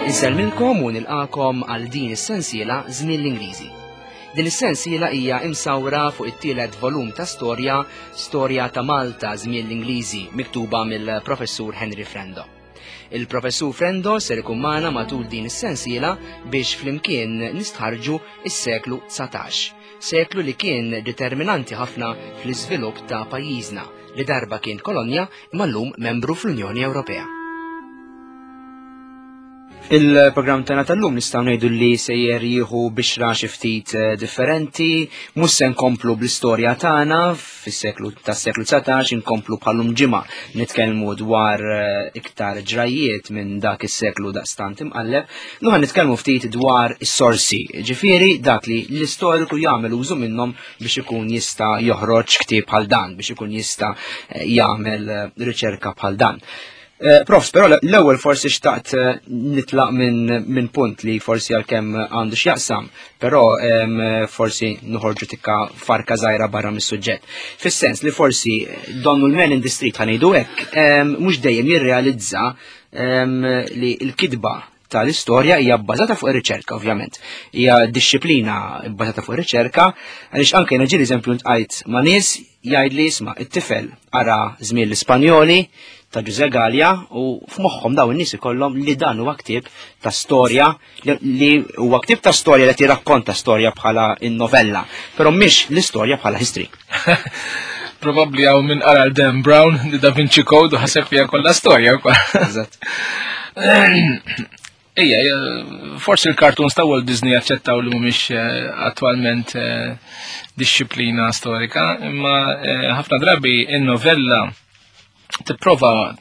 Insellmilkom u nilqakom għal din is-sensiela Żmien l-Ingliżi. Din is-sensiela hija imsawra fuq it-tielet volum ta' storja, Storja ta' Malta Żmien l-Ingliżi, miktuba mill-Professur Henry Frendo. Il-Professur Frendo ser ikun magħna matul din is-sensiela biex flimkien nistħarġu is-seklu 19, seklu li kien determinanti ħafna fl-iżvilupp ta' pajjiżna li darba kien kolonja imma llum membru fl-Unjoni Ewropea. Il-programm tagħna tal-lum nistgħu ngħidu li sejjer jieħu bixra xi ftit eh, differenti, mhux se nkomplu bl-istorja tagħna fis-seklu tas-seklu 19 inkomplu bħalum ġimgħa nitkellmu dwar eh, iktar ġrajjiet minn dak is-seklu daqstant imqalleb, nuħa nitkellmu ftit dwar is-sorsi, ġifieri dak li l-istoriku jagħmel użu minnhom biex ikun jista' joħroġ ktieb bħal dan, biex ikun jista' eh, jagħmel eh, riċerka bħal dan. Eh, Profs, però l-ewwel forsi xtaqt nitlaq minn min punt li forsi għalkemm għandu x'jaqsam, però forsi noħorġu tikka farka żgħira barra mis-suġġett. Fis-sens li forsi donnu l-man in the street ħanejdu hekk, mhux dejjem jirrealizza li l-kitba tal-istorja hija bbażata fuq ir-riċerka ovvjament. Hija dixxiplina bbażata fuq ir-riċerka għaliex anke jiena ġieli eżempju ntqajt ma' nies jgħid li isma' it-tifel ara żmien l-Ispanjoli ta' Ġuże Gallia u f'moħħhom dawn in-nies ikollhom li dan huwa ktieb ta' storja li huwa ktieb ta' storja li tirrakkonta storja bħala in-novella, però mhix l-istorja bħala history. Probabbli hawn minn qara Dan Brown, The Da Vinci Code u ħaseb fiha kollha storja wkoll. Eżatt. Ejja, forsi l-cartoons ta' Walt Disney aċċettaw li mhumiex eh, attwalment eh, disċiplina storika, imma eh, ħafna drabi in-novella tipprova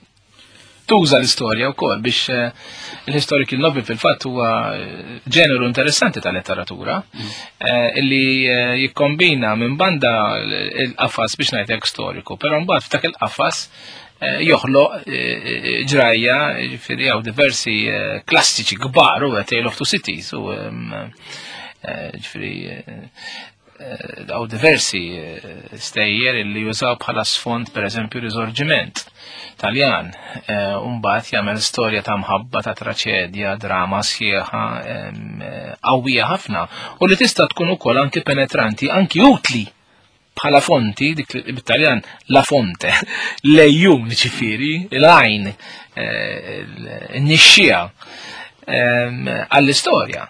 tuża l-istorja wkoll biex eh, il-historical novel fil-fatt huwa eh, ġeneru interessanti ta' letteratura mm. eh, illi jikkombina minn banda l-qafas biex ngħidlek storiku, però mbagħad f'dak il-qafas joħloq ġrajja, ġifieri hawn diversi klassiċi kbar u Tale of Two Cities u ġifieri Għaw diversi eh, stejjer illi jużaw bħala sfond per eżempju risorġiment Taljan. Eh, Umbat jagħmel storja ta' mħabba ta' traċedja, drama sħiħa eh, qawwija ħafna u li tista' tkun ukoll anki penetranti, anki utli bħala fonti, dik bit-Taljan la fonte, lejjun ġifieri, l-għajn, n-nixxija għall-istorja.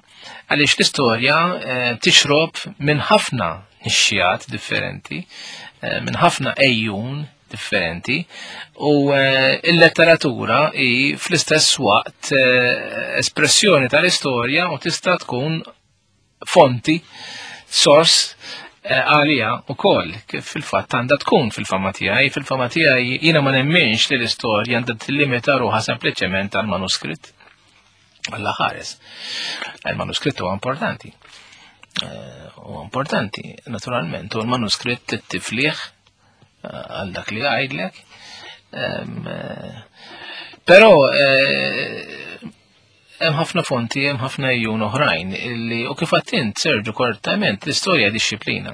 Għaliex l-istorja eh, tixrob minn ħafna nixxijat differenti, eh, minn ħafna ejjun differenti u eh, il-letteratura hi fl-istess waqt espressjoni tal-istorja u tista' tkun fonti, sors għalija u koll, kif fil-fatt għandha tkun fil-fama tiegħi, fil-fama tiegħi jiena ma nemminx li l-istorja għandha tillimita ruħha sempliċement għal manuskritt. Alla ħares. Il-manuskritt huwa importanti. Eh, huwa importanti, naturalment, u l-manuskritt tifliħ eh, għal dak li għajdlek. Eh, però hemm ħafna fonti, hemm ħafna ejjun oħrajn illi u kif għattint Serġu korrettament l-istorja disċiplina.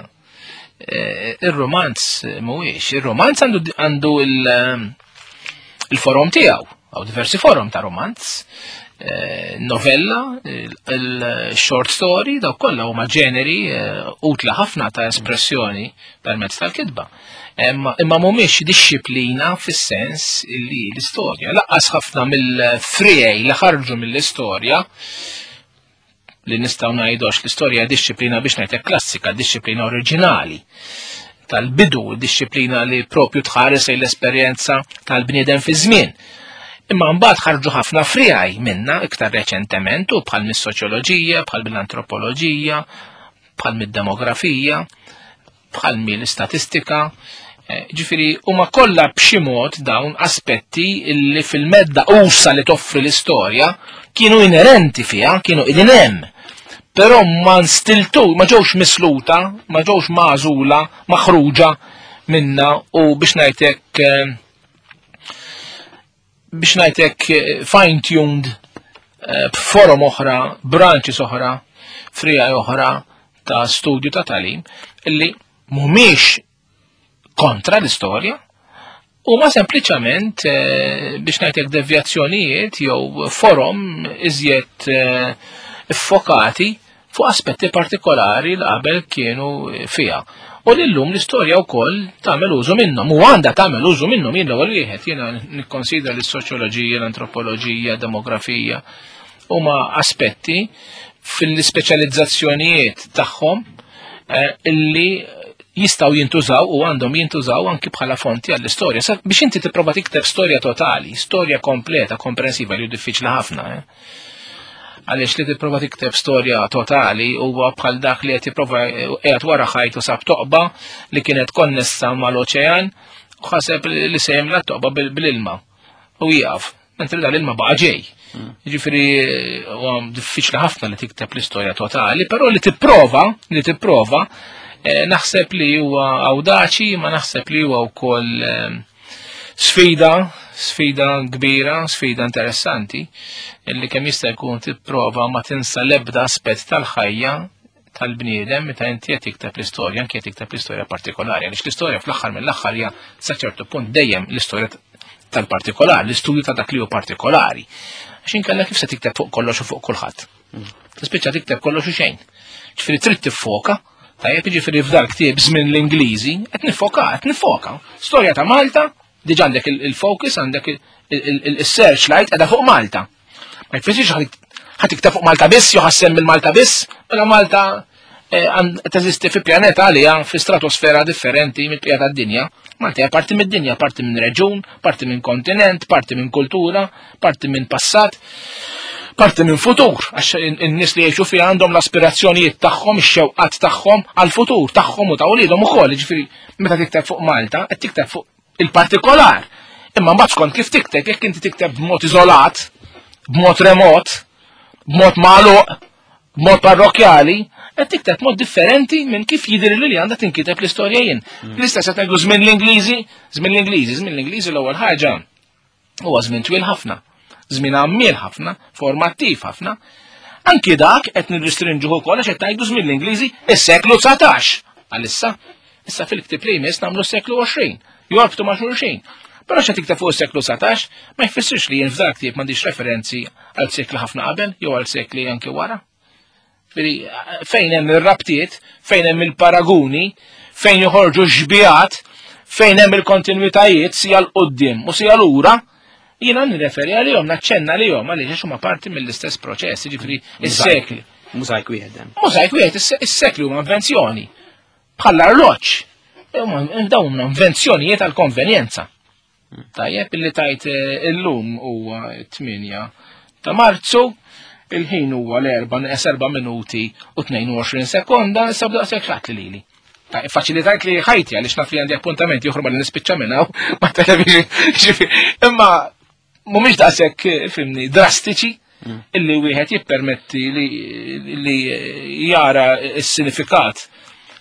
Ir-romanz mhuwiex, ir-romanz għandu il-forom tiegħu, għaw diversi forom ta' romanz, eh, novella, il-short story, daw kollha huma ġeneri eh, utla ħafna ta' espressjoni permezz tal-kitba. Imma mhumiex disċiplina fis-sens li l-istorja. Laqqas ħafna mill-frijej li ħarġu mill-istorja li nistgħu ngħidu għax l-istorja disċiplina biex ngħidlek klassika, disċiplina oriġinali tal-bidu, disċiplina li propju tħares l-esperjenza tal-bniedem fi żmien. Imma mbagħad ħarġu ħafna frijaj minna iktar reċentement u bħal mis-soċjoloġija, bħal mill-antropoloġija, bħal mid-demografija, bħal mill-istatistika. Eh, ġifieri huma kollha b'xi mod dawn aspetti li fil-medda usa li toffri l-istorja kienu inerenti fiha, kienu qegħdin hemm. Però ma nstiltu, ma ġewx misluta, ma ġewx magħżula, maħruġa minna u biex ngħidlek eh, biex ngħidlek eh, fine-tuned eh, b'forom oħra, branches oħra, frija oħra ta' studju ta' talim illi mhumiex kontra l-istorja. Huma sempliċement eh, biex ngħidlek devjazzjonijiet jew forom iżjed eh, iffokati fuq aspetti partikolari li qabel kienu fiha. U li llum l-istorja wkoll tagħmel użu minnhom u għandha tagħmel użu minnhom jien l-ewwel wieħed jiena nikkonsidra li s-soċjoloġija, l-antropoloġija, demografija huma aspetti fil-ispeċjalizzazzjonijiet tagħhom eh, illi jistaw jintużaw u għandhom jintużaw anki bħala fonti għall-istorja. Biex inti tipprova tikteb storja totali, storja kompleta, komprensiva li hu diffiċli ħafna. Eh? Għaliex li tipprova tikteb storja totali huwa bħal dak li qed jipprova qiegħed wara ħajt u sab toqba li kienet konnessa mal-oċean u ħaseb li se jimla toqba bil-ilma u jieqaf. Mentri dan l-ilma baqa' ġej. Mm. Jiġifieri huwa diffiċli ħafna li tikteb l-istorja totali, però li tipprova, li tipprova, eh, naħseb li huwa awdaċi, ma naħseb li huwa wkoll eh, sfida, sfida kbira, sfida interessanti, illi kemm jista' jkun tipprova ma tinsa l-ebda aspett tal-ħajja tal-bniedem meta inti qed tikteb l-istorja, anke qed tikteb l-istorja partikolari, għaliex l-istorja fl-aħħar mill-aħħar hija sa ċertu punt dejjem l-istorja tal-partikolar, l-istudju ta' dak li hu partikolari. Għax inkella kif se tikteb fuq kollox u fuq kulħadd. Tispiċċa tikteb kollox u xejn. Ġifieri trid tiffoka, tajjeb jiġifieri f'dal ktieb żmien l-Ingliżi, qed nifoka, qed nifoka. Storja ta' Malta, diġà għandek il-focus, għandek il-searchlight qiegħda fuq Malta. Ma jfissirx ħa tikteb fuq Malta biss, jew ħassem mill-Malta biss, mela Malta eh, teżisti fi pjaneta għalija fi stratosfera differenti mill-bqija tad-dinja. Malta hija parti mid-dinja, parti minn reġun, parti minn kontinent, parti minn kultura, parti minn passat, parti minn futur, għax in-nies li jgħixu fiha għandhom l-aspirazzjonijiet tagħhom, ix-xewqat tagħhom għall-futur tagħhom u ta' uliedhom ukoll, jiġifieri meta tikteb fuq Malta, qed tikteb fuq il-partikolar. Imma mbagħad skont kif tikteb, jekk inti tikteb b'mod iżolat, b'mod remot, b'mod magħluq, b'mod parrokjali, qed tikteb mod differenti minn kif jidher li għandha tinkiteb l-istorja jien. Mm. L-istess qed ngħidu żmien l-Ingliżi, żmien l-Ingliżi, żmien l-Ingliżi l-ewwel ħaġa huwa żmien twil ħafna, żmien għammiel ħafna, formattiv ħafna. Anki dak qed nirristrinġuh ukoll għax qed ngħidu żmien l-Ingliżi is-seklu 19. Għalissa, issa fil-ktieb li jmiss nagħmlu s-seklu 20, jorbtu ma' xulxin. Però xa tikteb fuq is-seklu 19 ma jfissirx li jien f'dak ktieb m'għandix referenzi għal sekli ħafna qabel jew għal sekli anki wara. Fejn hemm ir-rabtiet, fejn hemm il-paraguni, fejn joħorġu xbihat, fejn hemm il-kontinwitajiet sija l-qoddim u sija lura, jiena nirreferi għalihom, naċċenna għalihom għaliex huma parti mill-istess proċess, jiġifieri is-sekli. Mużajk wieħed. Mużajk wieħed, is-sekli huma invenzjoni. Bħall-arloġġ. Dawn huma invenzjonijiet għall-konvenjenza. Tajjeb illi tajt eh, illum huwa 8 ta' Marzu, il-ħin huwa l-4 neqes 4 minuti u 22 sekonda, issa b'daqshekk xatt li lili. Faċilitajt li ħajti għaliex naf li għandi appuntamenti oħra li nispiċċa minn hawn ma' television. Imma mhumiex daqshekk eh, fimni drastiċi mm. illi wieħed jippermetti li jara s-sinifikat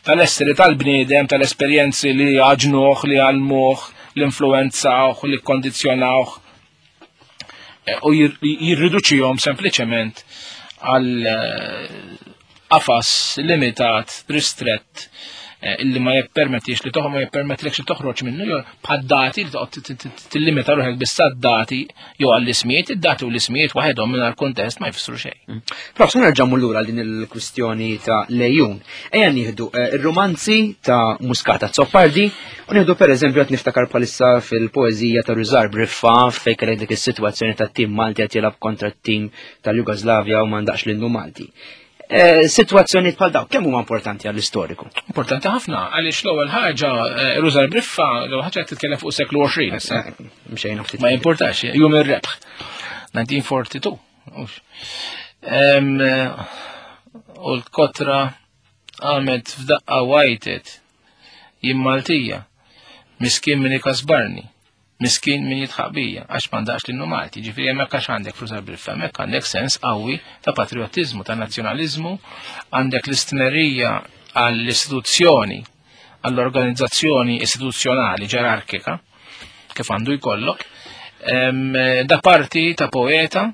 tal-esseri tal-bniedem, tal-esperjenzi li għaġnuh, li għalmuh, li influenzawh, li kondizjonawh eh, u jirriduċihom sempliċement għal eh, qafas limitat, ristrett, eh, illi ma jippermettix li toħ ma jippermettlekx li toħroġ minnu jew bħad-dati li toqgħod tillimita ruħek biss dati jew għall-ismijiet, id-dati u l-ismijiet waħedhom mingħajr kuntest ma jfissru xejn. Mm. Prof, se nerġa' lura din il-kwistjoni ta' lejun. Ejja nieħdu eh, ir-romanzi ta' Muscata Zoppardi u nieħdu pereżempju qed niftakar bħalissa fil-poeżija ta' Rużar Briffa fejn kellek dik is-sitwazzjoni tat-tim Malti qed jilgħab kontra t-tim tal-Jugoslavja u m'għandaqx l-innu Malti. Eh, Situazzjoni bħal daw, kemm huma importanti għall-istoriku? Importanti ħafna, għaliex l-ewwel ħaġa eh, Rużar Briffa, l-ewwel ħaġa qed titkellem fuq seklu 20 issa. Eh, mxejna ftit. Ma jimportax, jum ir-rebħ. 1942. U l-kotra għamet f'daqqa wajtet jien Maltija, miskin min ikasbarni. Miskin min jidħaq bija, għax m'għandaqx l-innu Malti, ġifieri hemmhekk għax għandek flus għal hemmhekk għandek sens qawwi ta' patriottiżmu, ta' nazzjonaliżmu, għandek l-istmerija għall-istituzzjoni, għall-organizzazzjoni istituzzjonali ġerarkika, kif għandu jkollok, da parti ta' poeta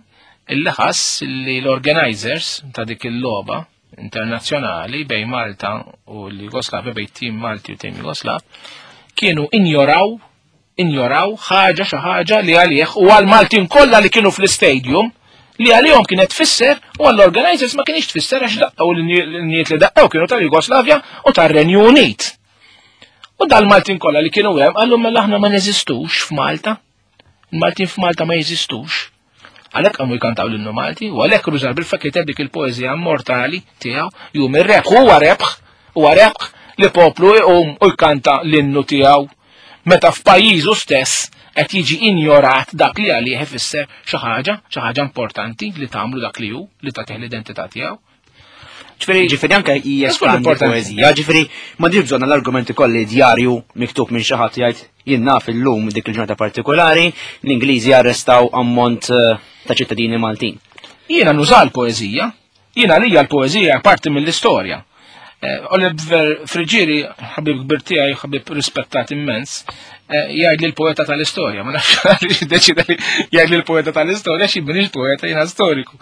illi ħass li l-organizers ta' dik il-logħba internazzjonali bejn Malta u l-Jugoslavja, bejn tim Malti u tim Jugoslav, kienu injoraw Injoraw ħaġa xi ħaġa li għalih u għal Maltin kollha li kienu fl-istadium li għalihom kienet tfisser u għall-organizers ma kienx tfisser għax daqqew l-niet li daqqew kienu tal-Jugoslavja u tar-Renju Unit. U dal-Maltin kollha li kienu hemm qallu mela aħna ma neżistux f'Malta. Il-Maltin f'Malta ma jeżistux. Għalhekk qamu jkantaw l-innu Malti u għalhekk Rużar Bilfa kiteb dik il-poeżija immortali tiegħu jum ir-rebħ huwa rebħ huwa rebħ li poplu iqum u jkanta l-innu tiegħu meta f'pajjiżu stess qed jiġi injorat dak li għalih ifisser xi ħaġa, xi ħaġa importanti li tagħmlu dak li hu, li tagħtih l-identità tiegħu. Ġifieri ġifieri anke jespandi poeżija, ġifieri ma dirx bżonn l-argumenti kolli djarju miktub minn xi ħadd jgħid jien naf illum dik il-ġurnata partikolari l-Ingliżi arrestaw ammont eh, ta' ċittadini Maltin. Jiena nuża l-poeżija, jiena lija l-poeżija parti mill-istorja. Eh, Oliver Friġieri, ħabib kbir tiegħi, ħabib rispettat immens, eh, jgħid li l-poeta tal-istorja, ma nafx għaliex iddeċida li jgħid li l-poeta tal-istorja xi minix poeta jiena storiku.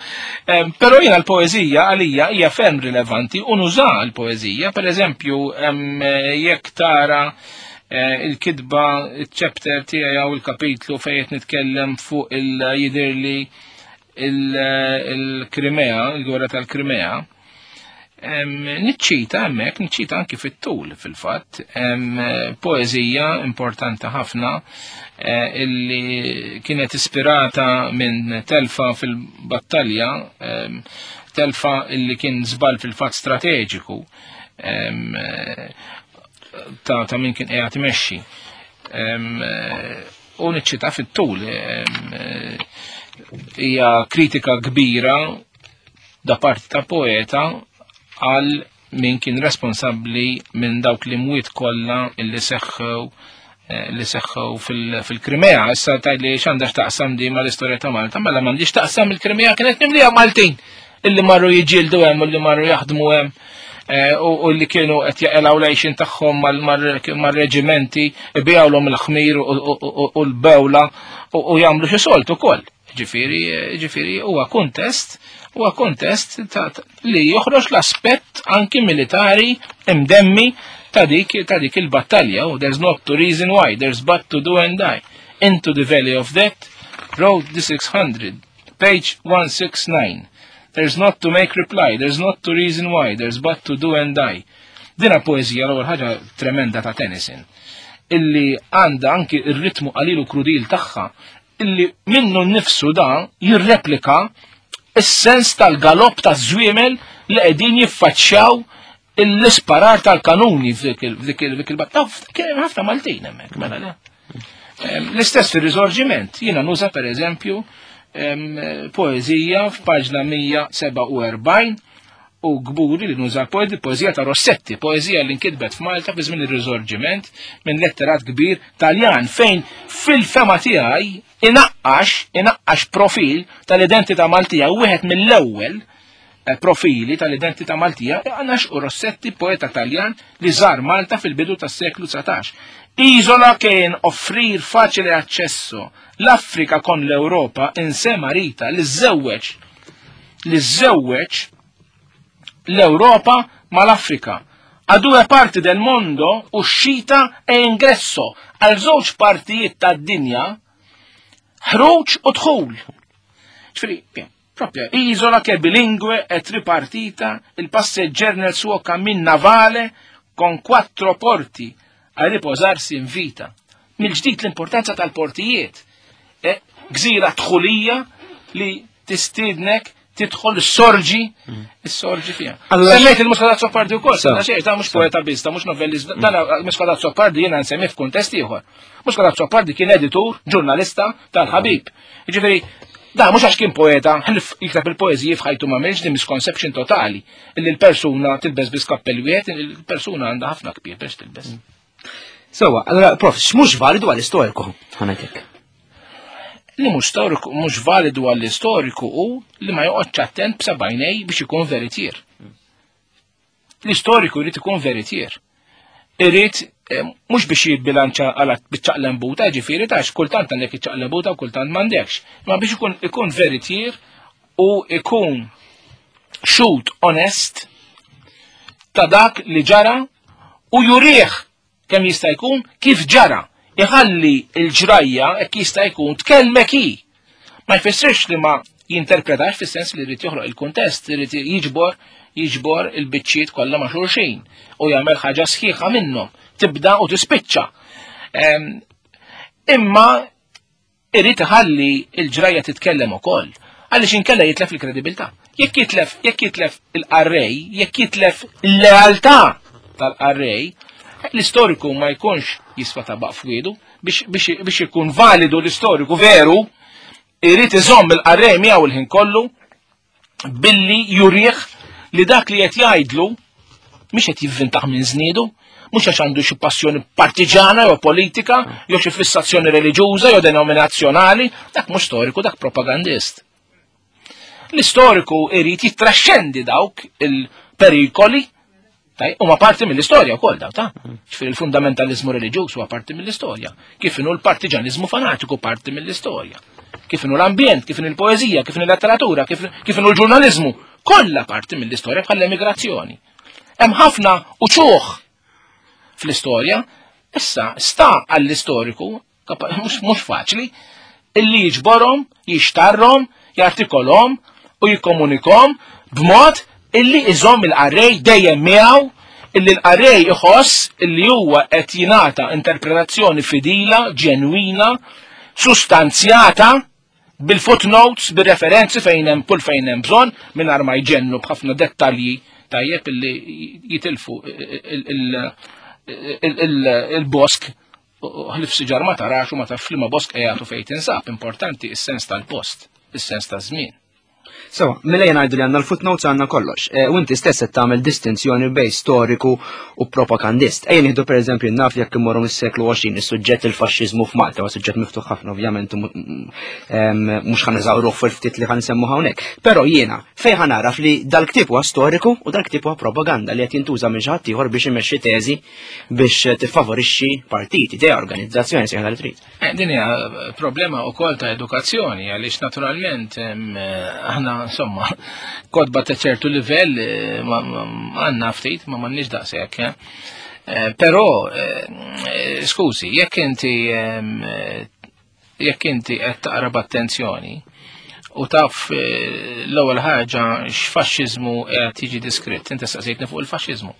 Eh, però jiena l-poeżija għalija hija ferm rilevanti u nuża l-poeżija, pereżempju jekk tara il-kitba, il-chapter tiegħi jew il-kapitlu fejn qed nitkellem fuq il-jidirli il-Krimea, il-gwerra tal-Krimea, Niċċita hemmhekk, niċċita anki fit-tul fil-fatt, poeżija importanti ħafna eh, illi kienet ispirata minn telfa fil-battalja, telfa illi kien żball fil-fatt strateġiku eh, ta' min kien qiegħed imexxi. Eh, u niċċita fit-tul hija kritika kbira da parti ta' poeta għal min kien responsabbli minn dawk li mwiet kollha illi seħħew eh, li seħħew fil-Krimea. Issa tgħidli x'għandha taqsam di mal-istorja ta' Malta, mela m'għandix taqsam il-Krimea kienet mimlija Maltin illi marru jiġġieldu hemm u li marru jaħdmu hemm eh, u li kienu qed jaqilgħu l-għixin tagħhom mar-reġimenti ibigħulhom il-ħmir u l-bewla u jagħmlu xi solt ukoll. Ġifieri, ġifieri huwa kuntest, huwa kuntest li joħroġ l-aspett anki militari imdemmi ta' dik ta' dik il-battalja u there's not to reason why, there's but to do and die. Into the valley of death, road the 600, page 169. There's not to make reply, there's not to reason why, there's but to do and die. Dina poezija l-ewwel ħaġa tremenda ta' Tennyson illi għandha anki ir-ritmu qalil u krudil tagħha illi minnu nnifsu da jirreplika is-sens tal-galopp ta' żwiemel li qegħdin jiffaċċjaw l-isparar tal-kanuni f'dik il-battaf. Kien hemm ħafna Maltin hemmhekk, mela le. L-istess fir-Riżorġiment, jiena nuża pereżempju poeżija f'paġna 147 u kburi li nuża poeżija ta' Rossetti, poeżija li nkitbet f'Malta fi żmien ir-Riżorġiment minn letterat kbir Taljan fejn fil-fema tiegħi inaqqax inaqqax profil tal-identità Maltija wieħed mill-ewwel eh, profili tal-identità Maltija għanax u Rossetti poeta Taljan li żar Malta fil-bidu tas-seklu 19. Isola kien offrir faċile accesso l-Afrika kon l-Europa insema rita li żewweġ li żewweġ l-Ewropa mal-Afrika. A due parti del mondo uscita e ingresso għal żewġ partijiet tad-dinja ħruġ u dħul. Ġifieri, proprio isola che bilingue e tripartita, il passeggero nel suo cammin navale con quattro porti a riposarsi in vita. Mill-ġdid l-importanza tal-portijiet. E, gżira dħulija li tistiednek tidħol is-sorġi, is-sorġi fiha. Semmejt il-Muscat Azzopardi wkoll, da xejn, da mhux poeta biss, da mhux novellist, dan Muscat Azzopardi jiena nsemmi f'kuntest ieħor. Muscat Azzopardi kien editur, ġurnalista tal-ħabib. Jiġifieri, da mhux għax kien poeta, ħlif jikteb il-poeżiji f'ħajtu ma m'hemmx din misconception totali illi l-persuna tilbes biss kappell wieħed, il-persuna għandha ħafna kbir biex tilbes. Sewa, allora prof, x'mhux validu għall-istoriku ħanajtek? Li mhux storiku, mhux validu għall-istoriku hu li ma joqgħodx attent b'sebgħinej biex ikun veritier. L-istoriku jrid ikun veritier. Irid eh, mhux biex jibbilanċa għal biċ-ċaqlembuta, ġifieri ta' kultant għandek iċ-ċaqlembuta u kultant m'għandekx. Ma biex ikun ikun veritier u ikun xut onest ta' dak li ġara u jurih kemm jista' jkun kif ġara. Iħalli l-ġrajja hekk jista' jkun tkellmek hi. Ma jfissirx li ma jinterpretax fis-sens li jrid joħloq il-kuntest, irid jiġbor jiġbor il-biċċiet kollha ma' xulxin u jagħmel ħaġa sħiħa minnhom, tibda u tispiċċa. Imma irid iħalli l-ġrajja titkellem ukoll, għaliex inkella jitlef il-kredibilità. Jekk jitlef, jekk jitlef il-qarrej, jekk jitlef il-lealtà tal-qarrej, l-istoriku ma jkunx jiswa tabaq f'wiedu biex, biex, biex ikun validu l-istoriku veru, irid iżomm il-qarrej miegħu il-ħin kollu billi jurih li dak li qed jgħidlu mhix qed jivvintaħ minn żniedu, mhux għax għandu xi passjoni partiġana jew politika, jew xi fissazzjoni reliġjuża jew denominazzjonali, dak mhux storiku, dak propagandist. L-istoriku irid jittraxxendi dawk il-perikoli Huma parti mill-istorja wkoll daw ta' ġifieri il-fundamentalizmu reliġjuż huwa parti mill-istorja. Kif inhu l-partiġanizmu fanatiku parti mill-istorja. Kif inhu l-ambjent, kif inhu l-poeżija, kif inhu l-letteratura, kif inhu l-ġurnaliżmu, kollha parti mill-istorja bħal l-emigrazzjoni. Hemm ħafna uċuħ fl-istorja, issa sta għall-istoriku mhux faċli, illi jiġborhom, jixtarrhom, jartikolhom u jikkomunikhom b'mod illi iżomm il-qarrej dejjem miegħu illi l-qarrej iħoss illi huwa qed jingħata interpretazzjoni fidila, ġenwina, sustanzjata bil-footnotes, bil-referenzi fejn hemm kull fejn hemm bżonn mingħajr ma jġennu b'ħafna dettalji tajjeb illi jitilfu il-bosk ħlif siġar ma tarax u ma tafx liema bosk qiegħed u fejn tinsab, importanti is-sens tal-post, is-sens taż-żmien. So, mela jena ngħidu li għandna l-footnotes għandna kollox. E, u inti stess qed tagħmel distinzjoni bej storiku u propagandist. Ejja nieħdu pereżempju naf jekk immorru mis-seklu 20 is-suġġett il-faxxiżmu f'Malta, huwa suġġett miftuħ ħafna ovvjament mhux ħa neżawruh fil-ftit li ħa nsemmu hawnhekk. Però jiena fejn ħa naraf li dal-ktieb huwa storiku u dal-ktieb huwa propaganda li qed jintuża minn xi ħadd ieħor biex imexxi teżi biex tiffavorixxi partit, idea, organizzazzjoni, sejħa li trid. Eh, din hija problema wkoll ta' edukazzjoni għaliex naturalment eh, aħna insomma kodba ta' ċertu livell eh, għandna ftit ma m'għandniex daqshekk. Però skużi, jekk inti jekk inti qed taqra b'attenzjoni u taf eh, l-ewwel ħaġa x'faxxiżmu qed jiġi diskritt, inti staqsejtni fuq il-faxxiżmu.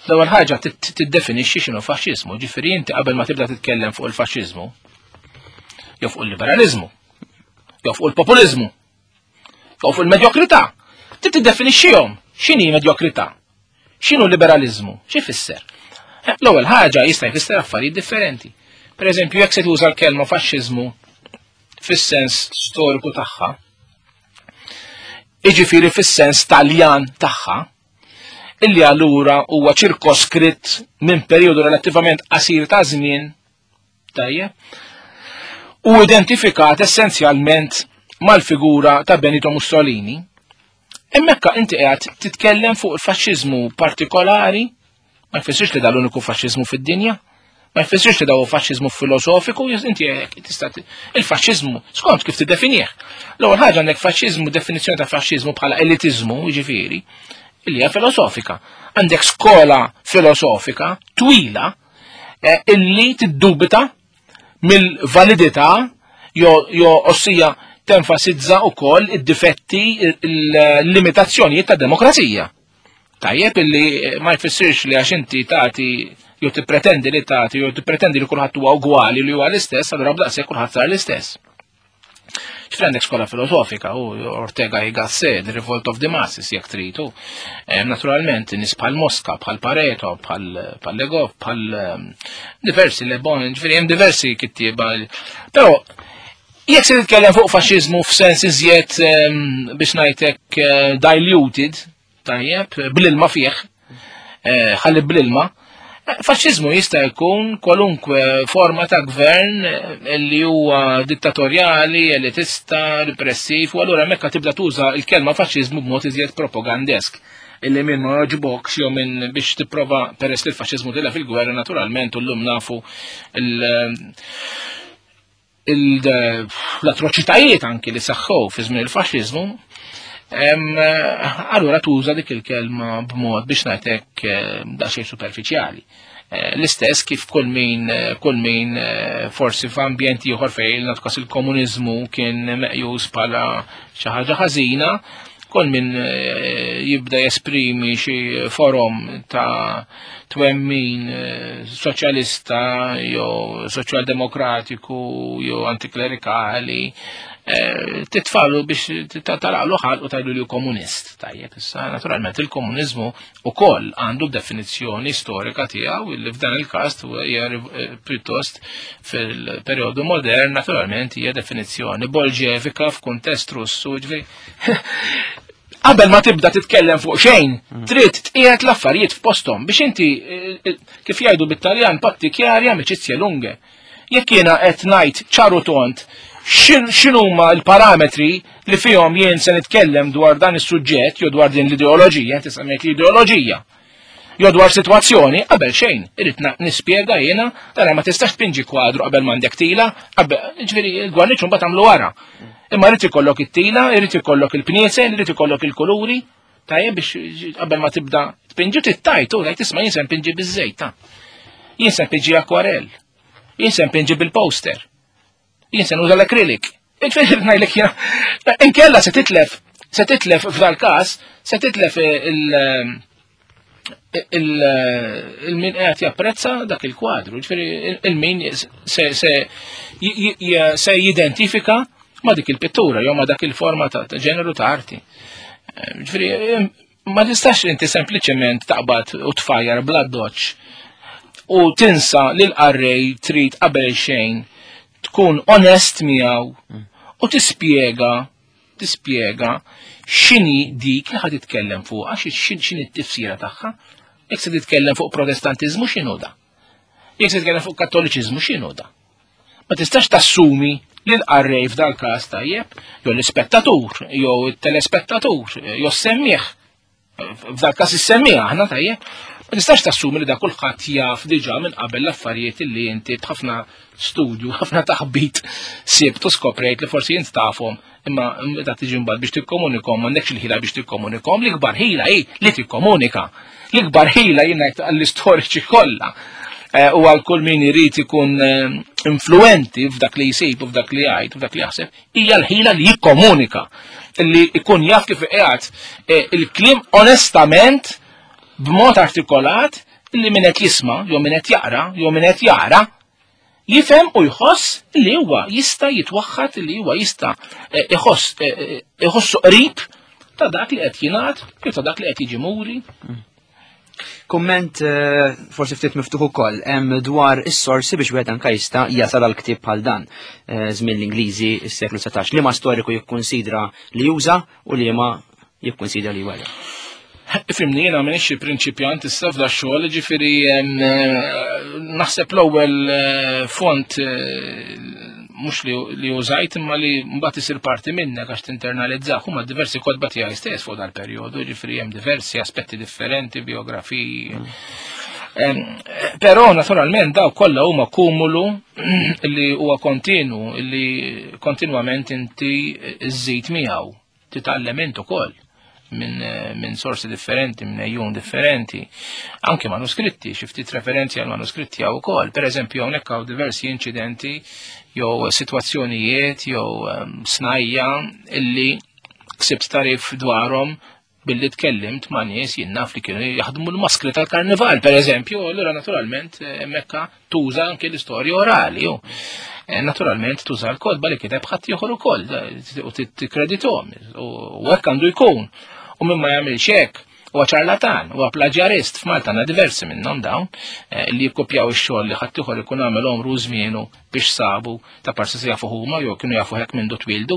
L-ewwel ħaġa tiddefinixxi x'inhu faxxiżmu, ġifieri inti qabel ma tibda titkellem fuq il-faxxiżmu, jew fuq il-liberaliżmu, jew fuq il-populiżmu, jew fuq il-medjokrità, trid tiddefinixxihom x'inhi medjokrità. X'inhu liberaliżmu? Xi jfisser? Eh, l-ewwel ħaġa jista' jfisser affarijiet differenti. Per eżempju, jekk se tuża l-kelma faxxiżmu fis-sens storiku tagħha, iġifieri fis-sens Taljan tagħha, illi allura huwa ċirkoskritt minn perjodu relattivament qasir ta' żmien Tajjeb. U identifikat essenzjalment mal-figura ta' Benito Mussolini. Hemmhekk inti qiegħed titkellem fuq il-faxxiżmu partikolari, ma jfissirx li dal-uniku faxxiżmu fid-dinja, ma jfissirx li daw faxxiżmu filosofiku, inti tista' il-faxxiżmu skont kif tiddefinih. L-ewwel ħaġa għandek faxxiżmu, definizzjoni ta' faxxiżmu bħala elitiżmu, jiġifieri, li hija filosofika. Għandek skola filosofika twila Eh, illi tiddubita mill-validità jo ossija tenfasizza wkoll id-difetti il-limitazzjonijiet ta' demokrazija. Tajjeb illi eh, ma jfissirx li għax inti tagħti jew tippretendi li tagħti jew tippretendi li kulħadd huwa ugwali li huwa l-istess, allura b'daqshekk kulħadd sar l-istess. Ġifri għandek skola filosofika u Ortega y Gasset, The Revolt of the Masses, jekk tritu. Eh, naturalment, nis bħal Mosca, bħal Pareto, bħal Legov, bħal ehm, diversi Le Bon, ġifri hemm diversi kittieba. Però jekk se titkellem fuq faxxiżmu f'sens iżjed ehm, biex ngħidlek eh, diluted, Tajjeb, bl-ilma fih, eh, ħalli bl-ilma. Eh, faxxiżmu jista' jkun kwalunkwe forma ta' gvern eh, li huwa dittatorjali, elitista, repressiv, u allura mekka tibda tuża l-kelma faxxiżmu b'mod iżjed propagandesk illi minn ma joġbokx jew minn biex tipprova peress li l-faxxiżmu tilha fil-gwerra naturalment u llum nafu l-atroċitajiet anki li saħħu fi żmien il-faxxiżmu. Allura tuża dik il-kelma b'mod biex ngħidlek daqsxejn superfiċjali. L-istess kif kull min kull min forsi f'ambjent ieħor fejn nagħtu il-komuniżmu kien meqjus bħala xi ħaġa ħażina, kull min jibda jesprimi xi forom ta' twemmin soċjalista jew soċjaldemokratiku jew antiklerikali, titfalu biex talaqlu ħalq u tajlu li komunist. Tajjeb, issa naturalment il-komuniżmu ukoll għandu definizzjoni storika tiegħu illi f'dan il-każ hija pjuttost fil-perjodu modern naturalment hija definizzjoni bolġevika f'kuntest Russu, ġifieri qabel ma tibda titkellem fuq xejn, trid tqiegħed l-affarijiet f'posthom biex inti kif jgħidu bit-Taljan patti chiari amicizie lunghe. Jekk jiena qed ngħid ċaru tont x'inhuma l-parametri li fihom jien se nitkellem dwar dan is-suġġett jew dwar din l-ideoloġija, inti semmejt l-ideoloġija, jew dwar sitwazzjoni, qabel xejn, irrid nispjega jiena, tara ma tistax tpinġi kwadru qabel m'għandek tila, qabel, ġifieri l-gwarniċ mbagħad tagħmlu wara. Imma rrid ikollok it-tila, irid ikollok il-pniesel, irid ikollok il-kuluri, tajjeb biex qabel ma tibda tpinġi tittajt u tgħid isma' jien se npinġi biż-żejt ta' jien se npinġi akwarell, jien se npinġi bil-poster, jien se nuża l-akrilik. Ġifieri ngħidlek jiena, inkella se titlef, se titlef f'dal każ, se titlef il-min qed japprezza dak il-kwadru, ġifieri il-min se jidentifika ma dik il-pittura jew ma dak il-forma ta' ġeneru ta' arti. Ġifieri ma tistax inti sempliċement taqbad u tfajjar bla doċ u tinsa li l-qarrej trid qabel xejn tkun onest miegħu u tispjega tispjega x'inhi dik li ħad titkellem fuqha, x'inhi t-tifsira tagħha. Jekk se titkellem fuq protestantiżmu x'inhu da? Jekk se titkellem fuq kattoliċiżmu x'inhu da? Ma tistax tassumi li l-qarrej f'dal każ tajjeb, jew l-ispettatur, jew it-telespettatur, jew s-semmieħ, f'dal każ is-semmieħ aħna tajjeb, ma tistax tassumi li da kulħadd jaf diġà minn qabel l-affarijiet li inti b'ħafna studju, ħafna taħbit sibt u skoprejt li forsi int tafhom, imma meta tiġi mbagħad biex tikkomunikom m'għandekx il-ħila biex tikkomunikom, l-ikbar ħila hi li tikkomunika. L-ikbar ħila jien ngħid għall-istoriċi kollha u għal kull min irid ikun influenti f'dak li jsib u f'dak li jgħid u f'dak li jaħseb, hija l-ħila li jikkomunika, li jkun jaf kif qiegħed il-kliem onestament b'mod artikolat li min qed jisma' jew min qed jaqra jew min qed jara jifhem u jħoss li huwa jista' jitwaħħad, li huwa jista' iħoss iħossu qrib ta' dak li qed jingħad jew ta' dak li qed jiġi muri. Kumment forsi ftit miftuħ ukoll hemm dwar is-sorsi biex wieħed anke jista' jasal għal ktieb bħal dan żmien l-Ingliżi s-seklu 19. Liema storiku jikkunsidra li juża u liema jikkunsidra li jwella. Ifimni, jiena m'iniex xi prinċipjant issa f'da xogħol, ġifieri naħseb l-ewwel font mhux li użajt imma li mbagħad isir parti minnek għax tinternalizzah huma diversi kotba tiegħi stess fuq dal-perjodu, ġifieri hemm diversi aspetti differenti, biografiji. Però naturalment daw kollha huma kumulu li huwa kontinu, li kontinwament inti żżid miegħu, titgħallem int ukoll minn sorsi differenti, minn ejjun differenti, anke manuskritti, xi ftit referenzi għal manuskritti hawn ukoll. Per eżempju, hawnhekk hawn diversi inċidenti jew sitwazzjonijiet jew snajja illi ksibt tarif dwarhom billi tkellimt ma' nies jien naf li kienu jaħdmu l-maskri tal-karnival, per eżempju, allura naturalment hemmhekk tuża anke l-istorja orali. U naturalment tuża l-kotba li kiteb ħadd ieħor ukoll u tikkreditom u hekk għandu jkun. U min ma jagħmilx hekk huwa ċarlatan, huwa plaġjarist. F'Malta għandna diversi minnhom dawn li jikkopjaw ix-xogħol li ħadd ieħor ikun għamel omru żmienu biex sabu ta' parsi se jafu huma jew kienu jafu hekk mindu twildu,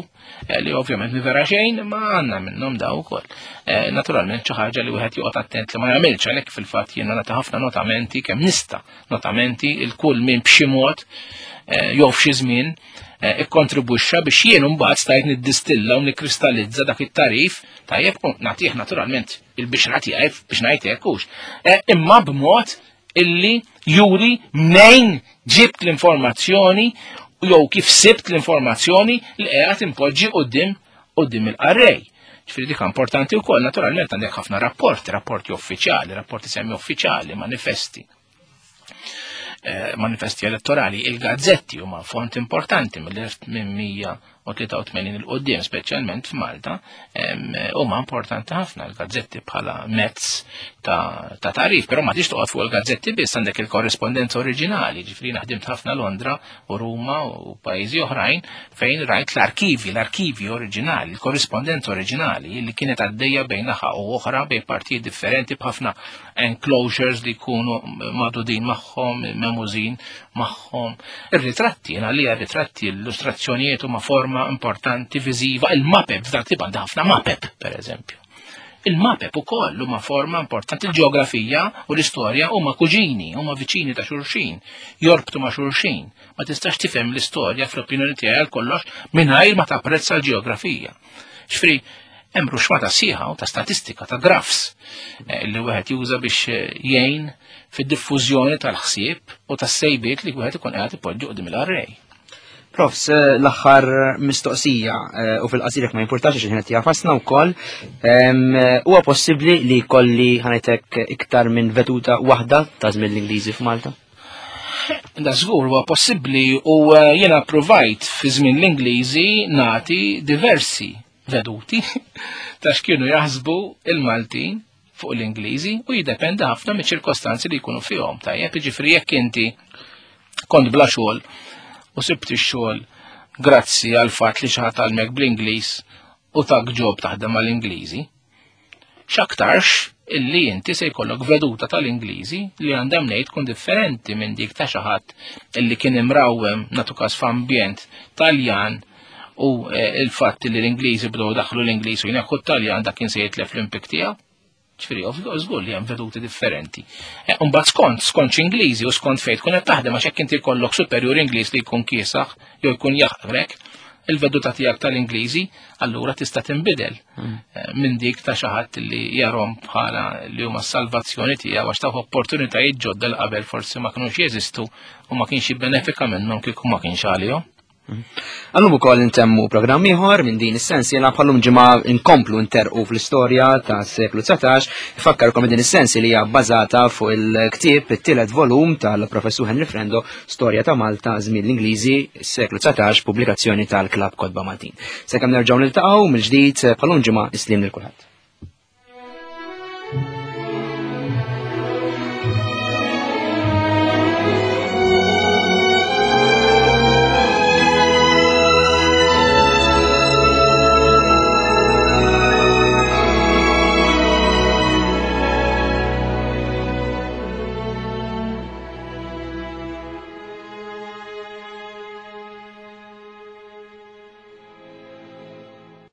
li ovvjament mi vera xejn, ma għandna minnhom daw ukoll. Naturalment xi ħaġa li wieħed joqgħod attent li ma jagħmilx, għalhekk fil-fatt jiena nagħti ħafna notamenti kemm nista' notamenti il kull min b'xi mod jew f'xi żmien ikkontribwixxa biex jien mbagħad stajt niddistilla u nikkristallizza dak it-tarif tajjeb u nagħtih naturalment il-bixra tiegħi biex ngħid hekk hux. Imma b'mod illi juri mnejn ġibt l-informazzjoni jew kif sibt l-informazzjoni li qiegħed impoġġi quddiem il-qarrej. Ġifieri dik importanti wkoll, naturalment għandek ħafna rapporti, rapporti uffiċjali, rapporti semi uffiċjali, manifesti. Eh, manifesti elettorali, il-gazzetti huma font importanti mill-1883 il-qoddim, speċjalment f'Malta, huma importanti ħafna l-gazzetti bħala mezz ta' tarif, però ma tix toqgħod fuq il-gazzetti biss għandek il-korrespondenza oriġinali, ġifieri naħdimt ħafna Londra u Ruma u pajjiżi oħrajn fejn rajt l-arkivi, l-arkivi oriġinali, il-korrespondenza oriġinali li kienet għaddejja bejn naħa u oħra bejn partijiet differenti b'ħafna enclosures li jkunu madudin magħhom, memużin magħhom. Ir-ritratti, jiena li ritratti, l-illustrazzjonijiet huma forma importanti viżiva, il-mapep, f'dak tip għandha ħafna mapep, per eżempju. Il-mapep ukoll huma forma importanti, il-ġeografija u l-istorja huma kuġini, huma viċini ta' xulxin, jorbtu ma' xulxin. Ma tistax tifhem l-istorja fl-opinjoni tiegħi għal kollox mingħajr ma tapprezza l-ġeografija. Xfri, hemm ruxmata sieħa ta' statistika ta' graphs eh, li wieħed juża biex eh, jgħin fid-diffużjoni tal-ħsieb u tas-sejbiet li wieħed ikun qiegħed ipoġġi qudiem il-arrej. Profs, eh, l-aħħar mistoqsija u fil-qasir ma jimpurtax għax ħin jafasna wkoll, huwa possibbli li kolli ħanajtek iktar minn veduta waħda ta' żmien l-Ingliżi f'Malta? Da żgur huwa possibbli u jiena provajt fi żmien l-Ingliżi nagħti diversi veduti ta' x'kienu jaħsbu il-Maltin fuq l-Ingliżi u jiddependi ħafna miċ-ċirkostanzi li jkunu fihom. Tajjeb, jiġifieri jekk inti kont bla xogħol u sibt ix-xogħol grazzi għal fatt li xi ħadd għallmek bl-Ingliż u tak ġob taħdem mal-Ingliżi, x'aktarx illi inti se jkollok veduta tal-Ingliżi li għandha mnejn tkun differenti minn dik ta' xi ħadd illi kien imrawwem nagħtu każ f'ambjent Taljan u eh, il-fatt li l-Ingliżi bdew daħlu l-Ingliż u jneħħu t-Taljan dak kien se jitlef l-impik tiegħu. Ġifieri, żgur li hemm veduti differenti. Eh, mbagħad skont, skont x'Ingliżi u skont fejn tkun qed taħdem għax hekk inti jkollok superjur Ingliż li jkun kiesaħ jew jkun jaħqrek, il-veduta tiegħek tal-Ingliżi allura tista' tinbidel hmm. eh, minn dik ta' xi ħadd li jarhom bħala li huma s-salvazzjoni tiegħu għax taw opportunitajiet ġodda l qabel forsi ma kinux jeżistu u ma kienx jibbenefika minnhom kieku ma kienx għalihom. Għallum ukoll intemmu programm ieħor minn din is-sensi jiena bħallum ġimgħa nkomplu nterqu fl-istorja ta' seklu 19, ifakkarkom din is-sensi li hija bbażata fuq il-ktieb it-tielet volum tal-Professur Henry Frendo Storja ta' Malta żmien l-Ingliżi seklu 19 pubblikazzjoni tal-Klabb Kotba Maltin. Sakemm nerġgħu niltaqgħu mill-ġdid bħallum ġimgħa islim lil kulħadd.